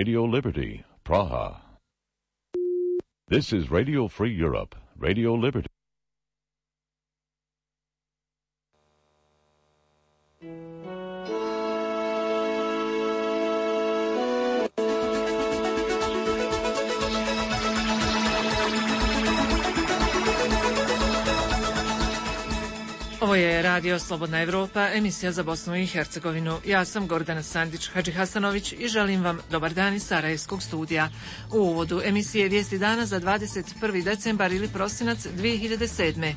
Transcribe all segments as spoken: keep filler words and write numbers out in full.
Radio Liberty, Praha. This is Radio Free Europe, Radio Liberty. Ovo je Radio Slobodna Evropa, emisija za Bosnu i Hercegovinu. Ja sam Gordana Sandić Hadžihasanović i želim vam dobar dan iz Sarajevskog studija. U uvodu emisije Vijesti dana za dvadeset prvi decembar ili prosinac dvije hiljade sedme.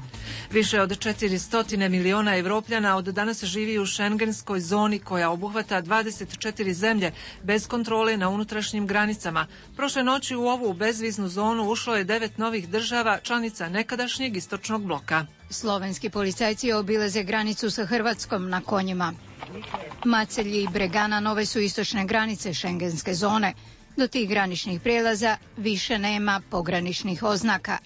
Više od četiristo miliona Evropljana od danas živi u šengenskoj zoni koja obuhvata dvadeset četiri zemlje bez kontrole na unutrašnjim granicama. Prošle noći u ovu bezviznu zonu ušlo je devet novih država članica nekadašnjeg istočnog bloka. Slovenski policajci obilaze granicu sa Hrvatskom na konjima. Macelji i Bregana nove su istočne granice šengenske zone. Do tih graničnih prijelaza više nema pograničnih oznaka.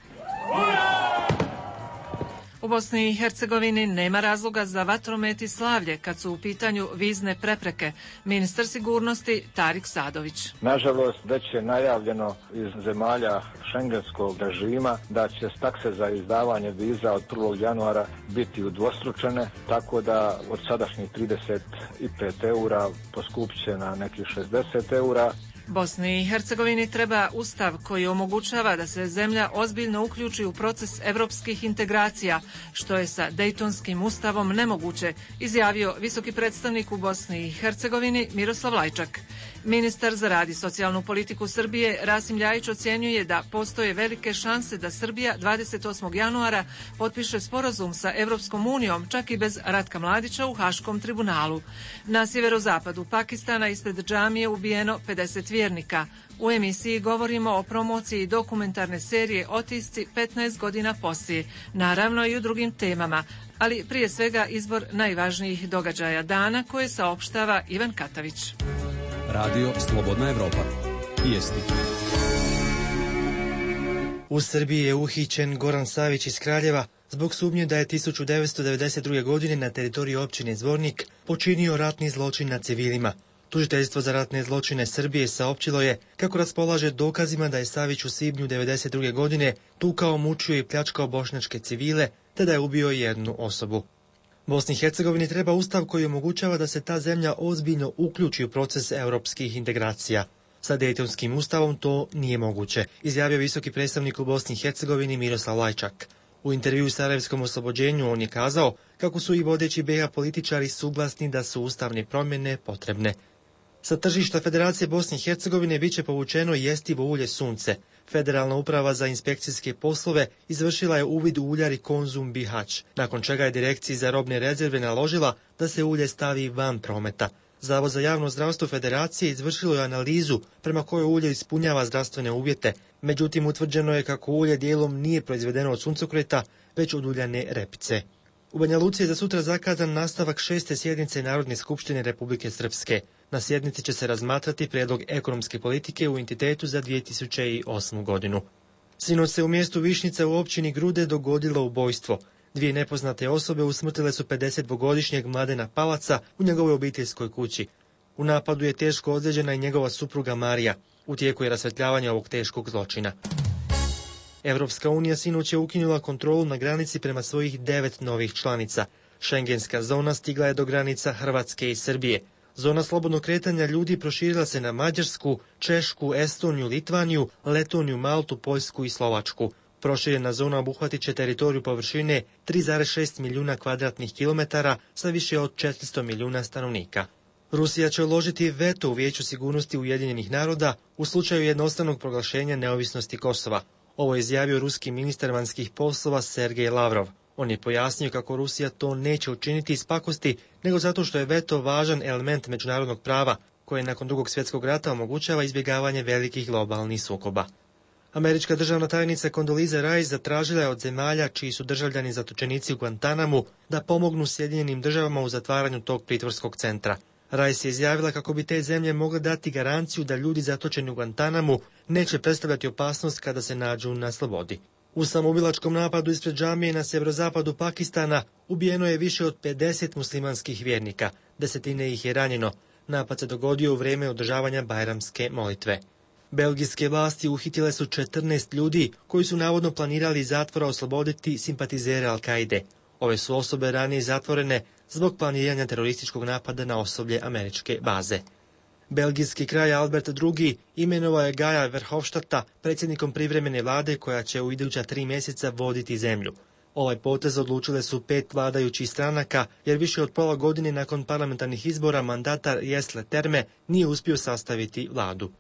U Bosni i Hercegovini nema razloga za vatromet i slavlje kad su u pitanju vizne prepreke. Ministar sigurnosti Tarik Sadović. Nažalost, već je najavljeno iz zemalja šengenskog režima da će takse za izdavanje viza od prvog januara biti udvostručene, tako da od sadašnjih trideset pet eura poskupit će na nekih šezdeset eura. Bosni i Hercegovini treba ustav koji omogućava da se zemlja ozbiljno uključi u proces evropskih integracija, što je sa Dejtonskim ustavom nemoguće, izjavio visoki predstavnik u Bosni i Hercegovini Miroslav Lajčak. Ministar za rad i socijalnu politiku Srbije Rasim Ljajić ocjenjuje da postoje velike šanse da Srbija dvadeset osmog januara potpiše sporazum sa Evropskom unijom, čak i bez Ratka Mladića u Haškom tribunalu. Na sjeverozapadu Pakistana ispred džamije ubijeno pedeset vjernika. U emisiji govorimo o promociji dokumentarne serije Otisci petnaest godina poslije, naravno i u drugim temama, ali prije svega izbor najvažnijih događaja dana koje saopštava Ivan Katavić. Radio Slobodna Evropa. Vijesti. U Srbiji je uhićen Goran Savić iz Kraljeva zbog sumnje da je tisuću devetsto devedeset druge. godine na teritoriji općine Zvornik počinio ratni zločin nad civilima. Tužiteljstvo za ratne zločine Srbije saopćilo je kako raspolaže dokazima da je Savić u svibnju devedeset druge. godine tukao, mučio i pljačkao bošnjačke civile, te da je ubio jednu osobu. Bosni i Hercegovini treba ustav koji omogućava da se ta zemlja ozbiljno uključi u proces europskih integracija. Sa Dejtonskim ustavom to nije moguće, izjavio visoki predstavnik u Bosni i Hercegovini Miroslav Lajčak. U intervjuu Sarajevskom oslobođenju on je kazao kako su i vodeći be ha političari suglasni da su ustavne promjene potrebne. Sa tržišta Federacije Bosne i Hercegovine bit će povučeno jestivo ulje Sunce. Federalna uprava za inspekcijske poslove izvršila je uvid u uljari Konzum Bihać, nakon čega je Direkciji za robne rezerve naložila da se ulje stavi van prometa. Zavod za javno zdravstvo Federacije izvršilo je analizu prema kojoj ulje ispunjava zdravstvene uvjete, međutim utvrđeno je kako ulje dijelom nije proizvedeno od suncokreta, već od uljane repice. U Banja Luci je za sutra zakazan nastavak šeste sjednice Narodne skupštine Republike Srpske. Na sjednici će se razmatrati prijedlog ekonomske politike u entitetu za dvije tisuće osmu. godinu. Sinoć se u mjestu Višnjica u općini Grude dogodilo ubojstvo. Dvije nepoznate osobe usmrtile su pedesetdvogodišnjeg Mladena Palaca u njegovoj obiteljskoj kući. U napadu je teško ozlijeđena i njegova supruga Marija. U tijeku je rasvjetljavanje ovog teškog zločina. Evropska unija sinoć je ukinula kontrolu na granici prema svojih devet novih članica. Šengenska zona stigla je do granica Hrvatske i Srbije. Zona slobodnog kretanja ljudi proširila se na Mađarsku, Češku, Estoniju, Litvaniju, Letoniju, Maltu, Poljsku i Slovačku. Proširena zona obuhvatit će teritoriju površine tri zarez šest milijuna kvadratnih kilometara sa više od četiristo milijuna stanovnika. Rusija će uložiti veto u Vijeću sigurnosti Ujedinjenih naroda u slučaju jednostranog proglašenja neovisnosti Kosova. Ovo je izjavio ruski ministar vanjskih poslova Sergej Lavrov. On je pojasnio kako Rusija to neće učiniti iz pakosti, nego zato što je veto važan element međunarodnog prava, koje nakon drugog svjetskog rata omogućava izbjegavanje velikih globalnih sukoba. Američka državna tajnica Condoleezza Rice zatražila je od zemalja čiji su državljani zatočenici u Guantanamu da pomognu Sjedinjenim državama u zatvaranju tog pritvorskog centra. Rice je izjavila kako bi te zemlje mogle dati garanciju da ljudi zatočeni u Guantanamu neće predstavljati opasnost kada se nađu na slobodi. U samoubilačkom napadu ispred džamije na sjeverozapadu Pakistana ubijeno je više od pedeset muslimanskih vjernika, desetine ih je ranjeno. Napad se dogodio u vrijeme održavanja bajramske molitve. Belgijske vlasti uhitile su četrnaest ljudi koji su navodno planirali iz zatvora osloboditi simpatizere Al-Kaide. Ove su osobe ranije zatvorene zbog planiranja terorističkog napada na osoblje američke baze. Belgijski kralj Albert drugi imenovao je Gaja Verhofstadta predsjednikom privremene vlade koja će u iduća tri mjeseca voditi zemlju. Ovaj potez odlučile su pet vladajućih stranaka, jer više od pola godine nakon parlamentarnih izbora mandatar Jes Leterme nije uspio sastaviti vladu.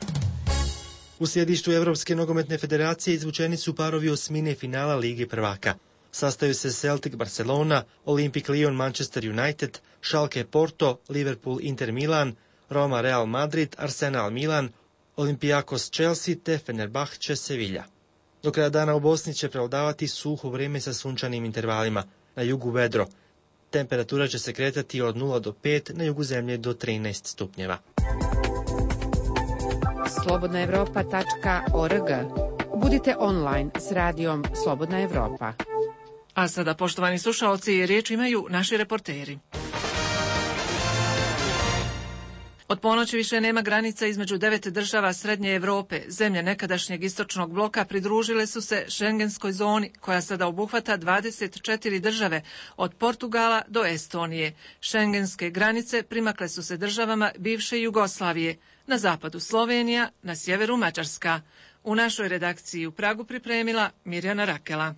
U sjedištu Europske nogometne federacije izvučeni su parovi osmine finala Lige prvaka. Sastaju se Celtic Barcelona, Olympic Lyon Manchester United, Schalke Porto, Liverpool Inter Milan, Roma Real Madrid, Arsenal Milan, Olympiakos Chelsea te Fenerbahče Sevilla. Do kraja dana u Bosni će prevladavati suho vrijeme sa sunčanim intervalima, na jugu vedro. Temperatura će se kretati od nula do pet, na jugu zemlje do trinaest stupnjeva. slobodna evropa tačka org. Budite online s radijom Slobodna Evropa. A sada, poštovani slušaoci, riječ imaju naši reporteri. Od ponoći više nema granica između devet država Srednje Europe. Zemlje nekadašnjeg istočnog bloka pridružile su se Schengenskoj zoni, koja sada obuhvata dvadeset četiri države, od Portugala do Estonije. Schengenske granice primakle su se državama bivše Jugoslavije, na zapadu Slovenija, na sjeveru Mađarska. U našoj redakciji u Pragu pripremila Mirjana Rakela.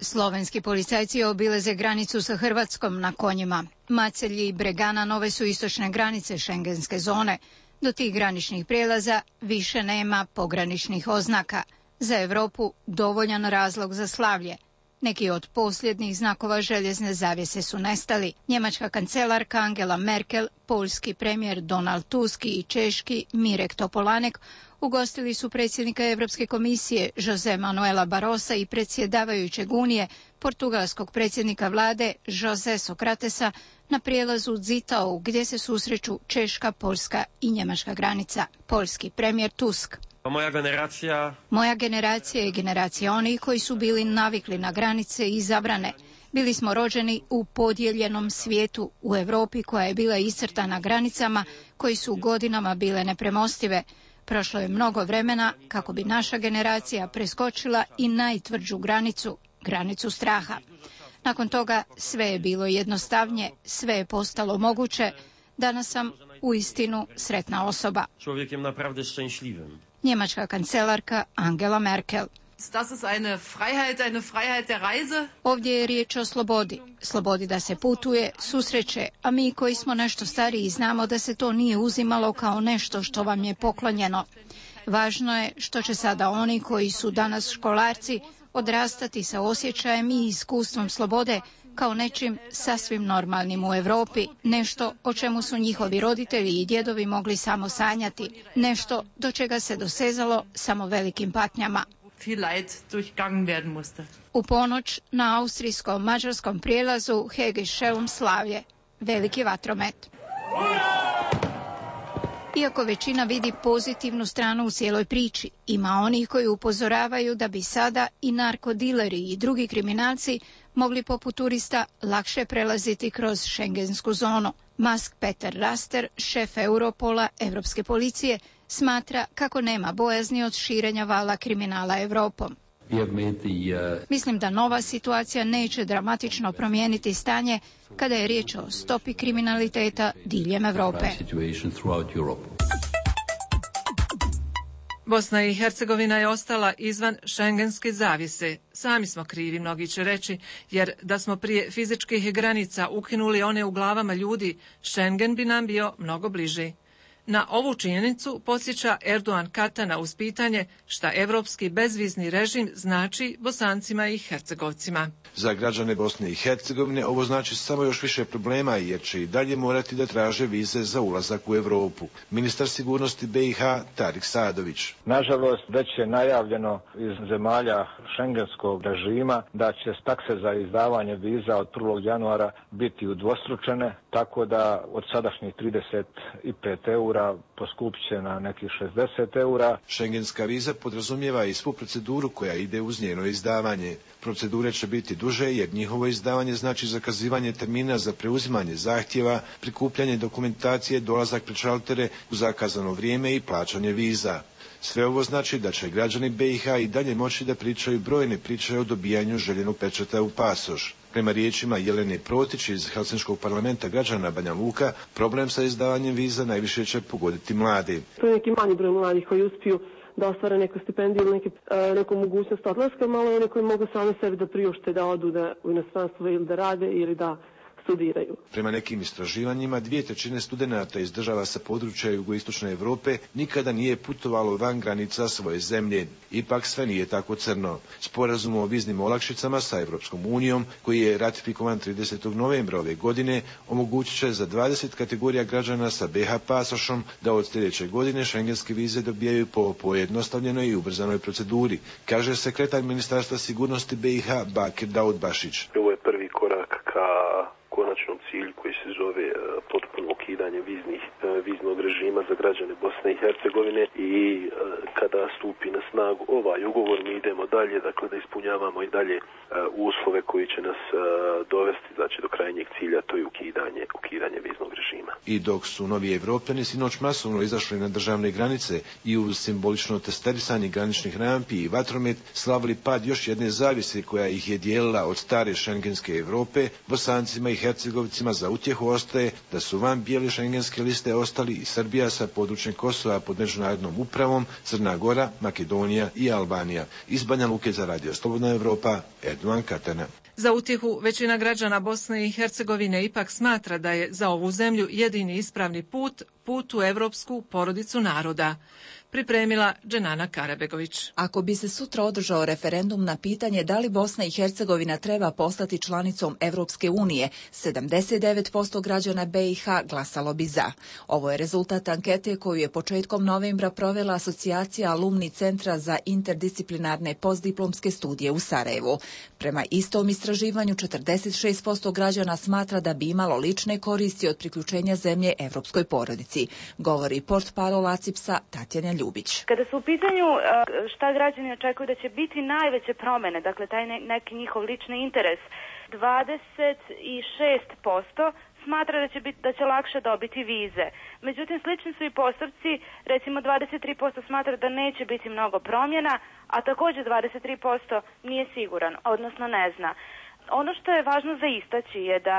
Slovenski policajci obilaze granicu sa Hrvatskom na konjima. Macelji i Bregana nove su istočne granice Schengenske zone. Do tih graničnih prijelaza više nema pograničnih oznaka. Za Europu dovoljan razlog za slavlje. Neki od posljednjih znakova željezne zavjese su nestali. Njemačka kancelarka Angela Merkel, poljski premijer Donald Tusk i češki Mirek Topolanek ugostili su predsjednika Europske komisije Jose Manuela Barrosa i predsjedavajućeg Unije, portugalskog predsjednika vlade Jose Sokratesa, na prijelazu Zittau gdje se susreću češka, poljska i njemačka granica. Poljski premijer Tusk. Moja generacija... Moja generacija je generacija onih koji su bili navikli na granice i zabrane. Bili smo rođeni u podijeljenom svijetu, u Europi koja je bila iscrtana granicama koji su godinama bile nepremostive. Prošlo je mnogo vremena kako bi naša generacija preskočila i najtvrđu granicu, granicu straha. Nakon toga sve je bilo jednostavnije, sve je postalo moguće. Danas sam uistinu sretna osoba. Čovjekiem naprawdę szczęśliwym. Njemačka kancelarka Angela Merkel. Das ist eine Freiheit, eine Freiheit der Reise. Ovdje je riječ o slobodi. Slobodi da se putuje, susreće, a mi koji smo nešto stariji znamo da se to nije uzimalo kao nešto što vam je poklonjeno. Važno je što će sada oni koji su danas školarci odrastati sa osjećajem i iskustvom slobode kao nečim sasvim normalnim u Europi, nešto o čemu su njihovi roditelji i djedovi mogli samo sanjati, nešto do čega se dosezalo samo velikim patnjama. U ponoć na austrijsko-mađarskom prijelazu Hegescheum slavlje, veliki vatromet. Iako većina vidi pozitivnu stranu u cijeloj priči, ima onih koji upozoravaju da bi sada i narkodileri i drugi kriminalci mogli poput turista lakše prelaziti kroz Schengensku zonu. Mask Peter Raster, šef Europola, Europske policije, smatra kako nema bojazni od širenja vala kriminala Europom. Mislim da nova situacija neće dramatično promijeniti stanje kada je riječ o stopi kriminaliteta diljem Europe. Bosna i Hercegovina je ostala izvan šengenske zavjese. Sami smo krivi, mnogi će reći, jer da smo prije fizičkih granica ukinuli one u glavama ljudi, Schengen bi nam bio mnogo bliži. Na ovu činjenicu podsjeća Erdogan Katana uz pitanje šta evropski bezvizni režim znači Bosancima i Hercegovcima. Za građane Bosne i Hercegovine ovo znači samo još više problema jer će i dalje morati da traže vize za ulazak u Europu. Ministar sigurnosti be i ha Tarik Sadović. Nažalost, već je najavljeno iz zemalja šengenskog režima da će takse za izdavanje viza od prvog januara biti udvostručene, tako da od sadašnjih trideset pet eura eura poskupit će na nekih šezdeset eura. Šengenska viza podrazumijeva i svu proceduru koja ide uz njeno izdavanje. Procedure će biti duže jer njihovo izdavanje znači zakazivanje termina za preuzimanje zahtjeva, prikupljanje dokumentacije, dolazak pred šaltere u zakazano vrijeme i plaćanje viza. Sve ovo znači da će građani B i H i dalje moći da pričaju brojne priče o dobijanju željenog pečata u pasoš. Prema riječima Jelene Protić iz Helsinškog parlamenta građana Banja Luka, problem sa izdavanjem viza najviše će pogoditi mlade. To je neki manji broj mladih koji uspiju da ostvare neku stipendiju ili neke, neku mogućnost odlaska, malo one koji mogu sami sebi da priušte da odu da u inostranstvo ili da rade ili da studiraju. Prema nekim istraživanjima, dvije trećine studenata iz država sa područja jugoistočne Europe nikada nije putovalo van granica svoje zemlje. Ipak sve nije tako crno. Sporazum o viznim olakšicama sa Europskom unijom, koji je ratifikovan tridesetog novembra ove godine, omogućit će za dvadeset kategorija građana sa B H pasošom da od sljedeće godine šengenske vize dobijaju po pojednostavljenoj i ubrzanoj proceduri, kaže sekretar Ministarstva sigurnosti B i H Bakir Daudbašić. Ovo je prvi korak ka konačnom cilju koji se zove uh, potpuno ukidanje viznih, uh, viznog režima za građane Bosne i Hercegovine i uh, kada stupi na snagu ovaj ugovor mi idemo dalje, dakle da ispunjavamo i dalje uh, uslove koji će nas uh, dovesti znači do krajnjeg cilja, to je ukidanje, ukidanje viznog režima. I dok su novi Evropljani sinoć masovno izašli na državne granice i uz simbolično testerisanje graničnih rampi i vatromet slavili pad još jedne zavise koja ih je dijelila od stare šengenske Europe, Bosancima i Hercegovicima za utjehu ostaje da su van bijele šengenske liste ostali i Srbija sa područjem Kosova pod međunarodnom upravom, Crna Gora, Makedonija i Albanija. Iz Banja Luke za Radio Slobodna Evropa, Erdogan Katana. Za utjehu većina građana Bosne i Hercegovine ipak smatra da je za ovu zemlju jedini ispravni put, put u evropsku porodicu naroda. Pripremila Dženana Karabegović. Ako bi se sutra održao referendum na pitanje da li Bosna i Hercegovina treba postati članicom Evropske unije, sedamdeset devet posto građana B i H glasalo bi za. Ovo je rezultat ankete koju je početkom novembra provela Asocijacija Alumni Centra za interdisciplinarne postdiplomske studije u Sarajevu. Prema istom istraživanju, četrdeset šest posto građana smatra da bi imalo lične koristi od priključenja zemlje evropskoj porodici, govori portparol ACIPS-a Tatjana Ljubić. Kada su u pitanju šta građani očekuju da će biti najveće promjene, dakle taj neki njihov lični interes, dvadeset šest posto smatra da će, biti, da će lakše dobiti vize. Međutim, slični su i postupci, recimo dvadeset tri posto smatra da neće biti mnogo promjena, a također dvadeset tri posto nije siguran, odnosno ne zna. Ono što je važno za istaći je da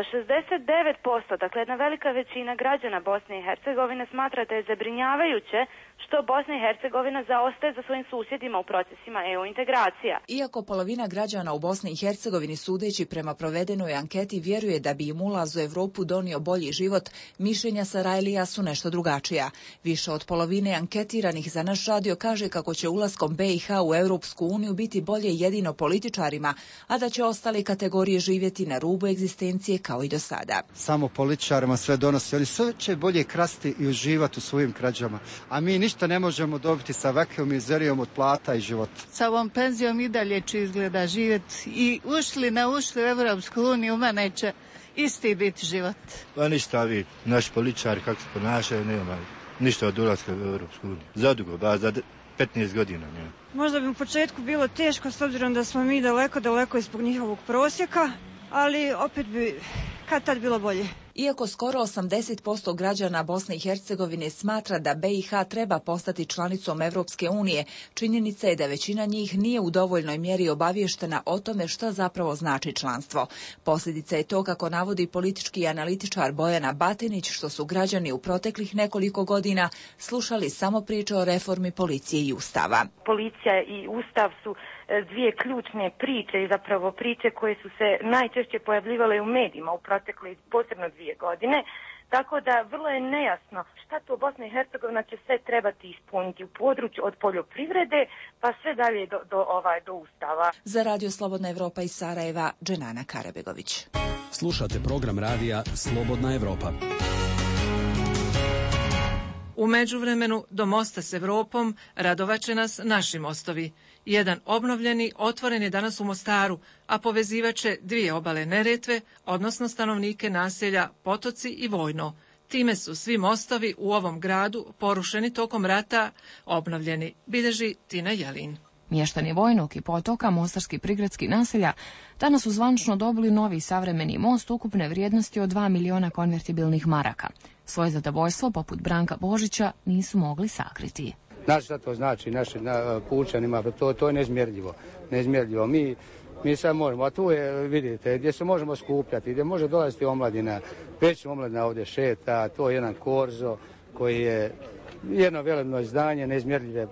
šezdeset devet posto, dakle jedna velika većina građana Bosne i Hercegovine smatra da je zabrinjavajuće što Bosna i Hercegovina zaostaje za svojim susjedima u procesima E U integracija. Iako polovina građana u Bosni i Hercegovini sudeći prema provedenoj anketi vjeruje da bi im ulaz u Europu donio bolji život, mišljenja Sarajlija su nešto drugačija. Više od polovine anketiranih za naš radio kaže kako će ulaskom B i H u Europsku uniju biti bolje jedino političarima, a da će ostale kategorije živjeti na rubu egzistencije kao i do sada. Samo političarima sve donosi, oni sve će bolje krasti i uživati u svojim krađama, a mi ništa ne možemo dobiti sa ovakvom mizerijom od plata i života. Sa ovom penzijom i dalje će izgleda živjeti i ušli na ušli u Evropsku uniju, u mene će isti biti život. Pa ništa vi, naši političari kako se ponašaju, nema ništa od ulaska u Evropsku uniju. Zadugo, ba za petnaest godina. Ne. Možda bi u početku bilo teško s obzirom da smo mi daleko, daleko ispod njihovog prosjeka, ali opet bi kad tad bilo bolje. Iako skoro osamdeset posto građana Bosne i Hercegovine smatra da B i H treba postati članicom Evropske unije, činjenica je da većina njih nije u dovoljnoj mjeri obavještena o tome šta zapravo znači članstvo. Posljedica je to, kako navodi politički analitičar Bojana Batinić, što su građani u proteklih nekoliko godina slušali samo priče o reformi policije i ustava. Policija i ustav su dvije ključne priče i zapravo priče koje su se najčešće pojavljivale u medijima u protekle posebno dvije godine. Tako da vrlo je nejasno šta to Bosna i Hercegovina će sve trebati ispuniti u području od poljoprivrede pa sve dalje do, do, ovaj, do ustava. Za Radio Slobodna Evropa iz Sarajeva, Dženana Karabegović. Slušate program radija Slobodna Evropa. U međuvremenu do mosta s Evropom radovaće nas naši mostovi. Jedan obnovljeni otvoren je danas u Mostaru, a povezivaće dvije obale Neretve, odnosno stanovnike naselja Potoci i Vojno. Time su svi mostovi u ovom gradu porušeni tokom rata obnovljeni, bilježi Tina Jelin. Mještani Vojnog i Potoka, mostarski prigradski naselja, danas su zvančno dobili novi savremeni most ukupne vrijednosti od dva miliona konvertibilnih maraka. Svoje zadovoljstvo, poput Branka Božića, nisu mogli sakriti. Znaš šta to znači našim na, pučanima, to, to je neizmjerljivo. neizmjerljivo. Mi, mi sad možemo, a tu je, vidite, gdje se možemo skupljati, gdje može dolaziti omladina, već omladina ovdje šeta, to je jedan korzo koji je jedno velebno izdanje, neizmjerljive e,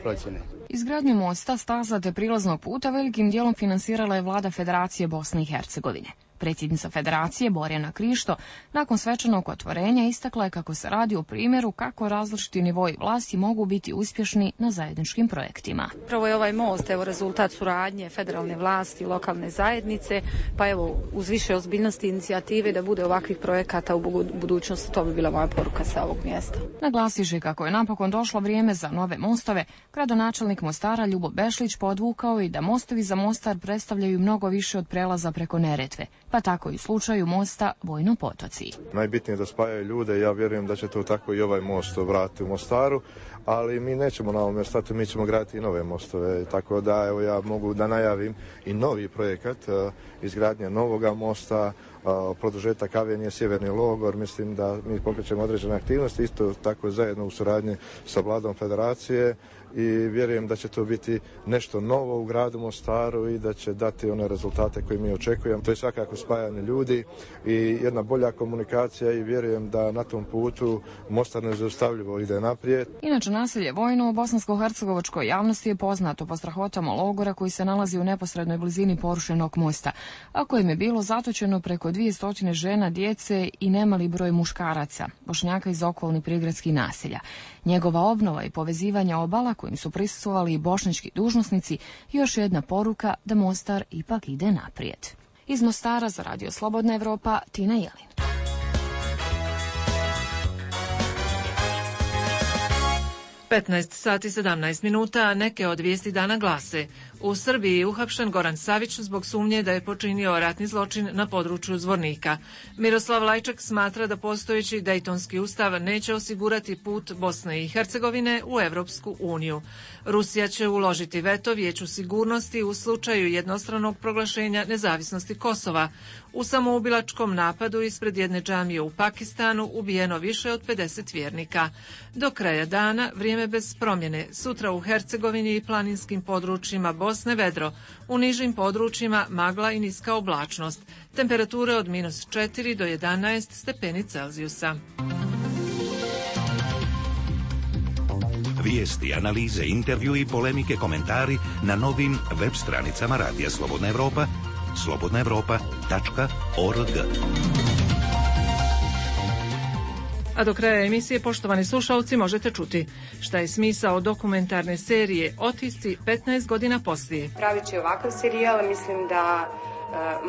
procjene. Izgradnju mosta, staza te prilaznog puta velikim dijelom finansirala je vlada Federacije Bosne i Hercegovine. Predsjednica Federacije Borjana Krišto nakon svečanog otvorenja istakla je kako se radi o primjeru kako različiti nivoi vlasti mogu biti uspješni na zajedničkim projektima. Prvo je ovaj most evo rezultat suradnje federalne vlasti i lokalne zajednice, pa evo uz više ozbiljnosti inicijative da bude ovakvih projekata u budućnosti, to bi bila moja poruka sa ovog mjesta. Naglasiše kako je napokon došlo vrijeme za nove mostove, gradonačelnik Mostara Ljubo Bešlić podvukao i da mostovi za Mostar predstavljaju mnogo više od prelaza preko Neretve, pa tako i u slučaju mosta Vojno Potoci. Najbitnije je da spajaju ljude i ja vjerujem da će to tako i ovaj most vratiti u Mostaru, ali mi nećemo na ovom stati, mi ćemo graditi i nove mostove, tako da evo ja mogu da najavim i novi projekat uh, izgradnje novoga mosta, uh, produžetak Avenije Sjeverni logor, mislim da mi pokrećemo određene aktivnosti, isto tako zajedno u suradnji sa vladom Federacije i vjerujem da će to biti nešto novo u gradu Mostaru i da će dati one rezultate koje mi očekujemo. To je svakako spajanje ljudi i jedna bolja komunikacija i vjerujem da na tom putu Mostar nezaustavljivo ide naprijed. Inače, naselje Vojno u bosansko-hercegovačkoj javnosti je poznato po strahotama logora koji se nalazi u neposrednoj blizini porušenog mosta, a kojem je bilo zatočeno preko dvije stotine žena, djece i nemali broj muškaraca, Bošnjaka iz okolnih prigradskih naselja. Njegova obnova i povezivanje obala kojim su prisustvovali i bošnjački dužnosnici, još jedna poruka da Mostar ipak ide naprijed. Iz Mostara za Radio Slobodna Evropa, Tina Jelin. petnaest sati sedamnaest minuta, neke od vijesti dana glase. U Srbiji je uhapšen Goran Savić zbog sumnje da je počinio ratni zločin na području Zvornika. Miroslav Lajčak smatra da postojeći Dejtonski ustav neće osigurati put Bosne i Hercegovine u Evropsku uniju. Rusija će uložiti veto Vijeću sigurnosti u slučaju jednostranog proglašenja nezavisnosti Kosova. U samoubilačkom napadu ispred jedne džamije u Pakistanu ubijeno više od pedeset vjernika. Do kraja dana vrijeme bez promjene. Sutra u Hercegovini i planinskim područjima Bosne vedro. U nižim područjima magla i niska oblačnost. Temperature od minus četiri do jedanaest stepeni Celzijusa. Vijesti, analize, intervju i polemike, komentari na novim web stranicama Radija Slobodna Evropa, slobodna evropa tačka org. A do kraja emisije, poštovani slušalci, možete čuti šta je smisao dokumentarne serije Otisci petnaest godina poslije. Pravići ovakav serijal, mislim da e,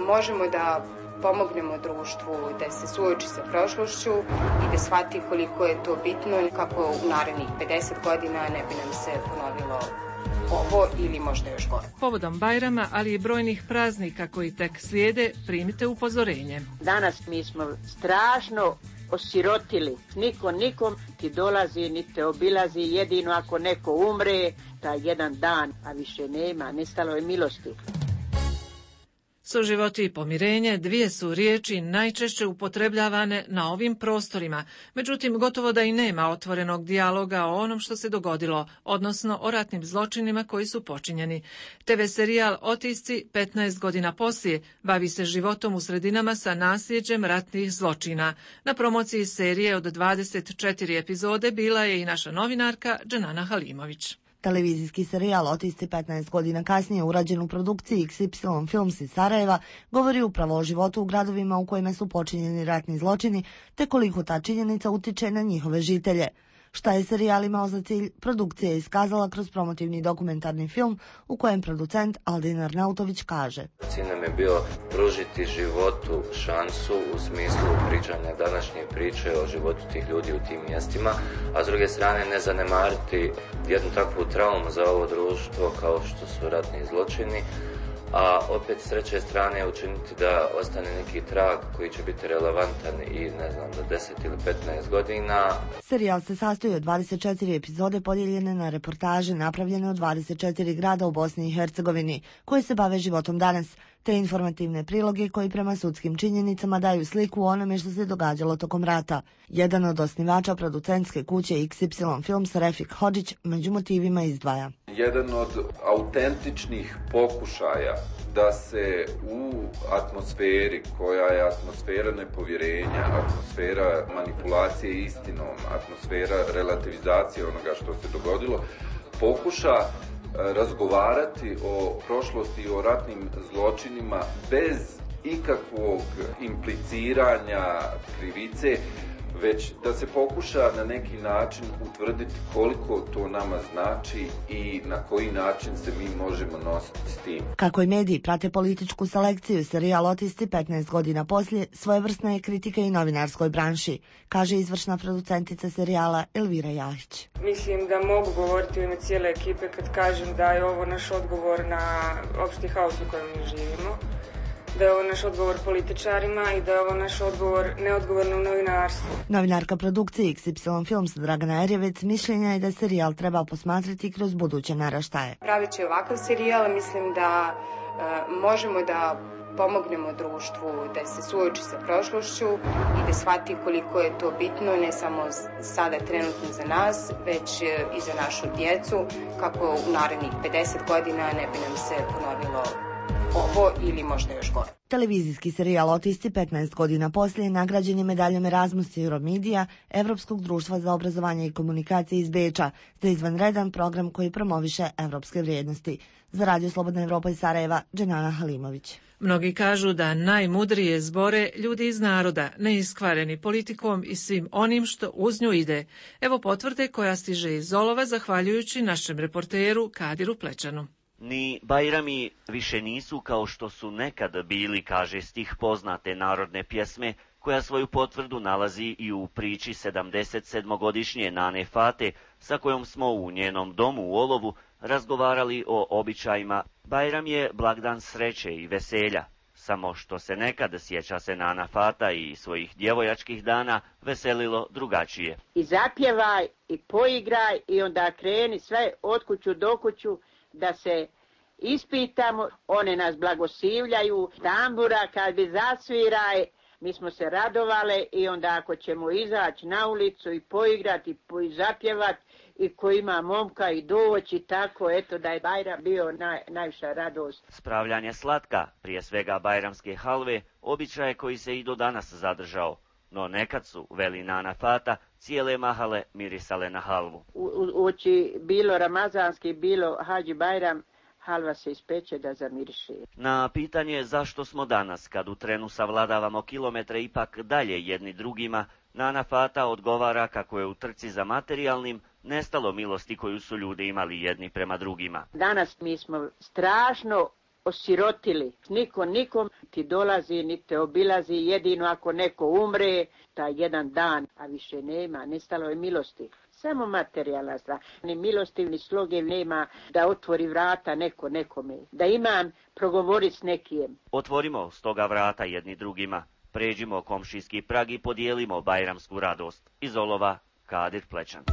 možemo da pomognemo društvu da se suoči sa prošlošću i da shvati koliko je to bitno, kako u narednih pedeset godina ne bi nam se ponovilo ovo ili možda još gore. Povodom Bajrama, ali i brojnih praznika koji tek slijede, primite upozorenje. Danas mi smo strašno osirotili. Niko nikom ti dolazi, ni te obilazi, jedino ako neko umre, taj jedan dan, a više nema, nestalo je milosti. Suživoti i pomirenje dvije su riječi najčešće upotrebljavane na ovim prostorima, međutim gotovo da i nema otvorenog dijaloga o onom što se dogodilo, odnosno o ratnim zločinima koji su počinjeni. te ve serijal Otisci petnaest godina poslije bavi se životom u sredinama sa nasljeđem ratnih zločina. Na promociji serije od dvadeset četiri epizode bila je i naša novinarka Dženana Halimović. Televizijski serijal Otisci petnaest godina kasnije, urađen u produkciji iks ipsilon Films iz Sarajeva, govori upravo o životu u gradovima u kojima su počinjeni ratni zločini, te koliko ta činjenica utiče na njihove žitelje. Šta je serijal imao za cilj, produkcija je iskazala kroz promotivni dokumentarni film u kojem producent Aldin Arnautović kaže: Cilj nam je bio pružiti životu šansu u smislu pričanja današnje priče o životu tih ljudi u tim mjestima, a s druge strane ne zanemariti jednu takvu traumu za ovo društvo kao što su ratni zločini, a opet s treće strane učiniti da ostane neki trag koji će biti relevantan i ne znam za deset ili petnaest godina. Serijal se sastoji od dvadeset četiri epizode podijeljene na reportaže napravljene u dvadeset četiri grada u Bosni i Hercegovini koji se bave životom danas, te informativne priloge koji prema sudskim činjenicama daju sliku o onome što se događalo tokom rata. Jedan od osnivača producentske kuće iks ipsilon Films, Refik Hodžić, među motivima izdvaja. Jedan od autentičnih pokušaja da se u atmosferi koja je atmosfera nepovjerenja, atmosfera manipulacije istinom, atmosfera relativizacije onoga što se dogodilo, pokuša razgovarati o prošlosti i o ratnim zločinima bez ikakvog impliciranja krivice, već da se pokuša na neki način utvrditi koliko to nama znači i na koji način se mi možemo nositi s tim. Kako i mediji prate političku selekciju, serijal Otisti petnaest godina poslije svojevrsna je kritika i novinarskoj branši, kaže izvršna producentica serijala Elvira Jahić. Mislim da mogu govoriti u ime cijele ekipe kad kažem da je ovo naš odgovor na opšti haos u kojem mi živimo, da je ovo naš odgovor političarima i da je ovo naš odgovor neodgovornom novinarstvu. Novinarka produkcije iks ipsilon Films Dragana Erjevec mišljenja je da serijal treba posmatrati kroz buduće naraštaje. Praveći ovakav serijal mislim da e, možemo da pomognemo društvu da se suoči sa prošlošću i da shvati koliko je to bitno ne samo sada trenutno za nas, već i za našu djecu, kako u narednih pedeset godina ne bi nam se ponovilo ovo ili možda još gore. Televizijski serijal Otisti petnaest godina poslije nagrađen je medaljom Erasmus Euromedija Evropskog društva za obrazovanje i komunikacije iz Beča za izvanredan program koji promoviše evropske vrijednosti. Za Radio Slobodna Evropa iz Sarajeva, Dženana Halimović. Mnogi kažu da najmudrije zbore ljudi iz naroda, neiskvareni politikom i svim onim što uz nju ide. Evo potvrde koja stiže iz Zolova zahvaljujući našem reporteru Kadiru Plečanu. Ni Bajrami više nisu kao što su nekad bili, kaže stih poznate narodne pjesme, koja svoju potvrdu nalazi i u priči sedamdeset sedmogodišnje Nane Fate, sa kojom smo u njenom domu u Olovu razgovarali o običajima. Bajram je blagdan sreće i veselja, samo što se nekad, sjeća se Nana Fata i svojih djevojačkih dana, veselilo drugačije. I zapjevaj, i poigraj, i onda kreni sve od kuću do kuću, da se ispitamo, one nas blagoslivljaju, tambura kad bi zasviraj, mi smo se radovale i onda ako ćemo izaći na ulicu i poigrati i zapjevati i ko ima momka i doći tako, eto da je Bajram bio naj, najviša radost. Spravljanje slatka, prije svega bajramske halve, običaj koji se i do danas zadržao. No nekad su, veli Nana Fata, cijele mahale mirisale na halvu. U, uči bilo ramazanski, bilo Hadži Bajram, halva se ispeče da zamiriše. Na pitanje zašto smo danas, kad u trenu savladavamo kilometre ipak dalje jedni drugima, Nana Fata odgovara kako je u trci za materijalnim nestalo milosti koju su ljudi imali jedni prema drugima. Danas mi smo strašno osirotili. Niko nikom ti dolazi, ni te obilazi, jedino ako neko umre, taj jedan dan, a više nema, nestalo je milosti. Samo materijalna stvar. Ni milosti, ni sloge nema da otvori vrata neko nekome. Da imam progovori s nekijem. Otvorimo stoga vrata jedni drugima. Pređimo komšijski prag i podijelimo bajramsku radost. Iz Olova, Kadir Plečan.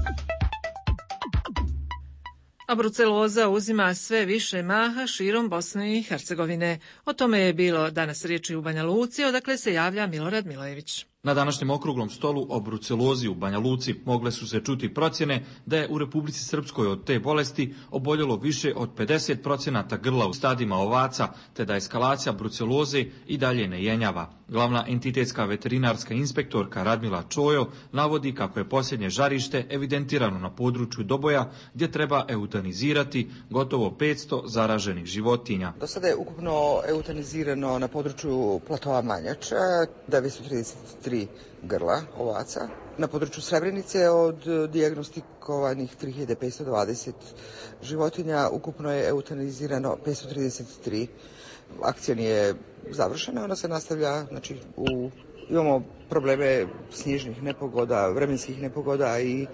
A bruceloza uzima sve više maha širom Bosne i Hercegovine. O tome je bilo danas riječi u Banja Luci, odakle se javlja Milorad Milojević. Na današnjem okruglom stolu o brucelozi u Banja Luci mogle su se čuti procjene da je u Republici Srpskoj od te bolesti oboljelo više od pedeset procenata grla u stadima ovaca, te da eskalacija bruceloze i dalje ne jenjava. Glavna entitetska veterinarska inspektorka Radmila Čojo navodi kako je posljednje žarište evidentirano na području Doboja, gdje treba eutanizirati gotovo petsto zaraženih životinja. Do sada je ukupno eutanizirano na području platova Manjača devetsto trideset tri grla ovaca. Na području Srebrenice od dijagnostikovanih tri hiljade petsto dvadeset životinja ukupno je eutanizirano petsto trideset tri. Akcija nije završena, ona se nastavlja znači, u Imamo probleme snježnih nepogoda, vremenskih nepogoda i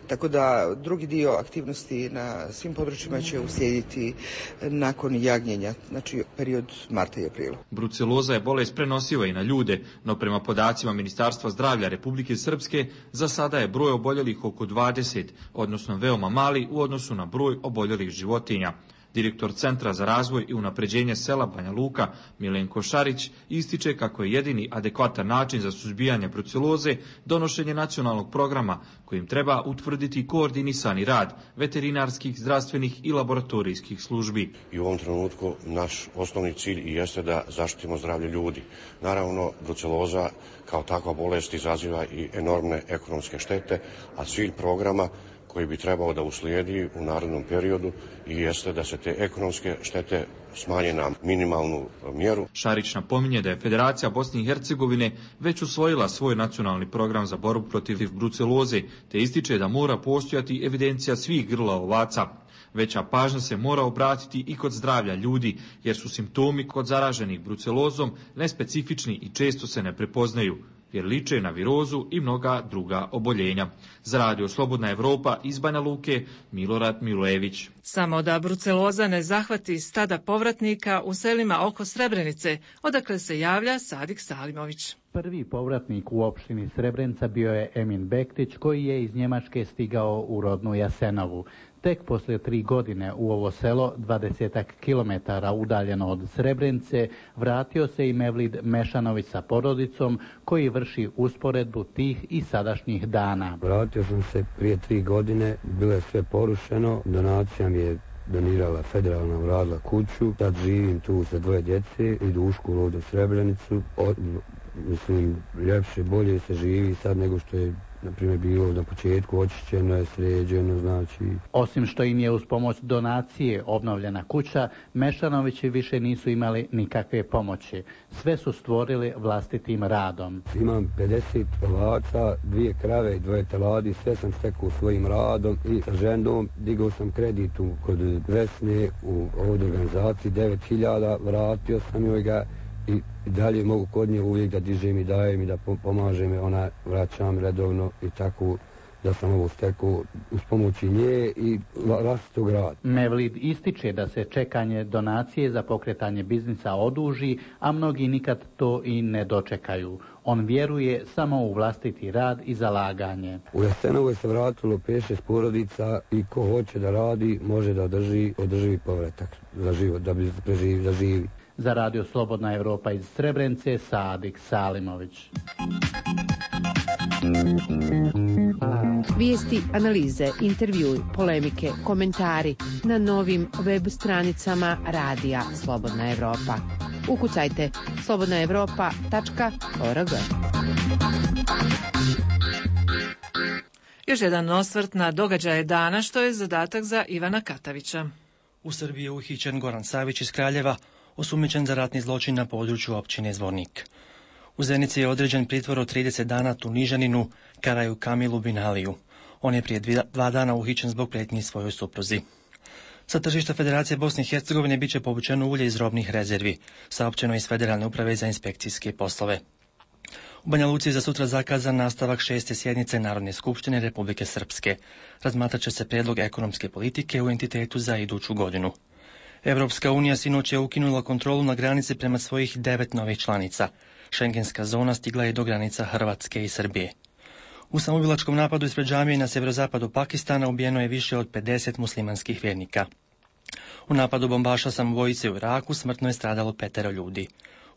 tako da drugi dio aktivnosti na svim područjima će uslijediti nakon jagnjenja, znači period marta i aprila. Bruceloza je bolest prenosiva i na ljude, no prema podacima Ministarstva zdravlja Republike Srpske za sada je broj oboljelih oko dvadeset, odnosno veoma mali u odnosu na broj oboljelih životinja. Direktor Centra za razvoj i unapređenje sela Banja Luka, Milenko Šarić, ističe kako je jedini adekvatan način za suzbijanje bruceloze donošenje nacionalnog programa kojim treba utvrditi koordinisani rad veterinarskih, zdravstvenih i laboratorijskih službi. I u ovom trenutku naš osnovni cilj i jeste da zaštitimo zdravlje ljudi. Naravno, bruceloza kao takva bolest izaziva i enormne ekonomske štete, a cilj programa koji bi trebao da uslijedi u narednom periodu i jeste da se te ekonomske štete smanje na minimalnu mjeru. Šarić napominje da je Federacija Bosne i Hercegovine već usvojila svoj nacionalni program za borbu protiv bruceloze, te ističe da mora postojati evidencija svih grla ovaca. Veća pažnja se mora obratiti i kod zdravlja ljudi, jer su simptomi kod zaraženih brucelozom nespecifični i često se ne prepoznaju, jer liče na virozu i mnoga druga oboljenja. Za Radio Slobodna Evropa iz Banja Luke, Milorad Milojević. Samo da bruceloza ne zahvati stada povratnika u selima oko Srebrenice, odakle se javlja Sadik Salimović. Prvi povratnik u opštini Srebrenica bio je Emin Bektić, koji je iz Njemačke stigao u rodnu Jasenovu. Tek poslije tri godine u ovo selo, dvadesetak kilometara udaljeno od Srebrenice, vratio se i Mevlid Mešanović sa porodicom, koji vrši usporedbu tih i sadašnjih dana. Vratio sam se prije tri godine, bilo je sve porušeno, donacija mi je donirala federalna, uradila kuću, sad živim tu sa dvoje djece, idu u školu u Srebrenicu, o, mislim, ljepše, bolje se živi sad nego što je na primjer bilo na početku, očišćeno je, sređeno, znači. Osim što im je uz pomoć donacije obnovljena kuća, Mešanovići više nisu imali nikakve pomoći. Sve su stvorili vlastitim radom. Imam pedeset ovaca, dvije krave i dvoje teladi, sve sam stekao svojim radom i sa ženom digao sam kredit kod Vesne u ovoj organizaciji, devet hiljada, vratio sam joj ga i dalje mogu kod nje uvijek da dižem i dajem i da pomažem i ona vraćam redovno i tako da sam ovo stekao uz pomoći nje i vlastitog rada. Mevlid ističe da se čekanje donacije za pokretanje biznisa oduži, a mnogi nikad to i ne dočekaju. On vjeruje samo u vlastiti rad i zalaganje. U Jasenovoj se vratilo pet šest porodica i ko hoće da radi može da održi održivi povratak za život, da bi preživi, da živi. Za Radio Slobodna Evropa iz Srebrenice, Sadik Salimović. Vijesti, analize, intervjui, polemike, komentari na novim web stranicama Radija Slobodna Evropa. Ukucajte slobodna evropa tačka org. Još jedan osvrt na događaje dana, što je zadatak za Ivana Katavića. U Srbiji je uhićen Goran Savić iz Kraljeva, osumnjičen za ratni zločin na području općine Zvornik. U Zenici je određen pritvor od trideset dana Tunižaninu Karaju Kamilu Binaliju. On je prije dva dana uhićen zbog pretnji svojoj supruzi. Sa tržišta Federacije Bosne i Hercegovine biće povučeno ulje iz robnih rezervi, saopćeno iz Federalne uprave za inspekcijske poslove. U Banja Luci je za sutra zakazan nastavak šeste sjednice Narodne skupštine Republike Srpske. Razmatrat će se predlog ekonomske politike u entitetu za iduću godinu. Evropska unija sinoć je ukinula kontrolu na granici prema svojih devet novih članica. Šengenska zona stigla je do granica Hrvatske i Srbije. U samoubilačkom napadu ispred džamije na sjeverozapadu Pakistana ubijeno je više od pedeset muslimanskih vjernika. U napadu bombaša samobojice u Iraku smrtno je stradalo petero ljudi.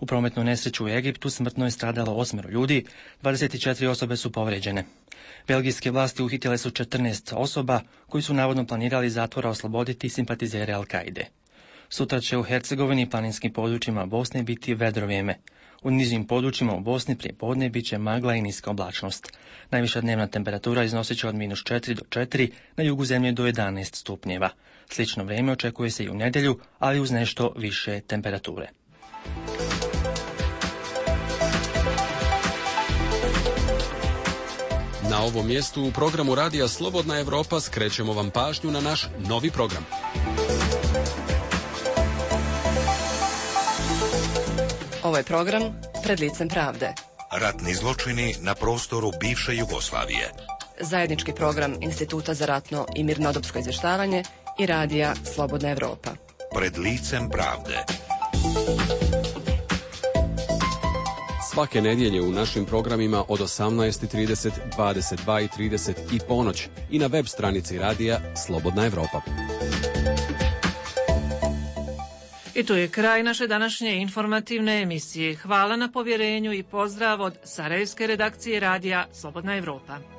U prometnu nesreću u Egiptu smrtno je stradalo osmero ljudi, dvadeset četiri osobe su povređene. Belgijske vlasti uhitile su četrnaest osoba koji su navodno planirali zatvora osloboditi simpatizere Al-Kaide. Sutra će u Hercegovini i planinskim područjima Bosne biti vedro vrijeme. U nižim područjima u Bosni prije podne bit će magla i niska oblačnost. Najviša dnevna temperatura iznosit će od minus četiri do četiri, na jugu zemlje do jedanaest stupnjeva. Slično vrijeme očekuje se i u nedjelju, ali uz nešto više temperature. Na ovom mjestu u programu Radija Slobodna Evropa skrećemo vam pažnju na naš novi program. Ovo je program Pred licem pravde. Ratni zločini na prostoru bivše Jugoslavije. Zajednički program Instituta za ratno i mirnodopsko izvještavanje i radija Slobodna Evropa. Pred licem pravde. Svake nedjelje u našim programima od osamnaest i trideset, dvadeset dva i trideset i ponoć i na web stranici radija Slobodna Evropa. I tu je kraj naše današnje informativne emisije. Hvala na povjerenju i pozdrav od sarajevske redakcije radija Slobodna Evropa.